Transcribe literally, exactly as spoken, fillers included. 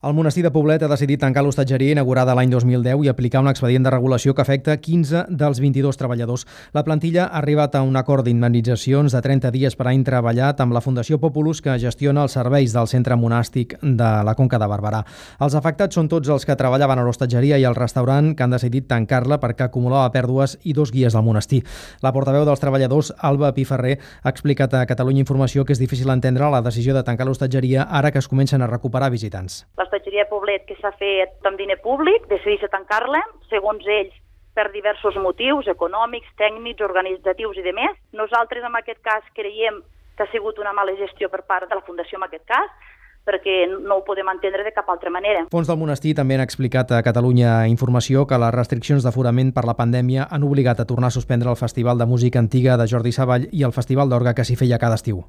El monestir de Poblet ha decidit tancar l'hostatgeria inaugurada l'any dos mil deu i aplicar un expedient de regulació que afecta quinze dels vint-i-dos treballadors. La plantilla ha arribat a un acord d'indemnitzacions de trenta dies per any treballat amb la Fundació Populus, que gestiona els serveis del centre monàstic de la Conca de Barberà. Els afectats són tots els que treballaven a l'hostatgeria i al restaurant, que han decidit tancar-la perquè acumulava pèrdues, i dos guies del monestir. La portaveu dels treballadors, Alba Piferrer, ha explicat a Catalunya Informació que és difícil entendre la decisió de tancar l'hostatgeria ara que es comencen a recuperar visitants. L'hostatgeria Poblet, que s'ha fet amb diner públic, decideix tancar-la, segons ells, per diversos motius econòmics, tècnics, organitzatius i demés. Nosaltres, en aquest cas, creiem que ha sigut una mala gestió per part de la Fundació, en aquest cas, perquè no ho podem entendre de cap altra manera. Fons del monestir també han explicat a Catalunya Informació que les restriccions d'aforament per la pandèmia han obligat a tornar a suspendre el Festival de Música Antiga de Jordi Savall i el Festival d'Orgue, que s'hi feia cada estiu.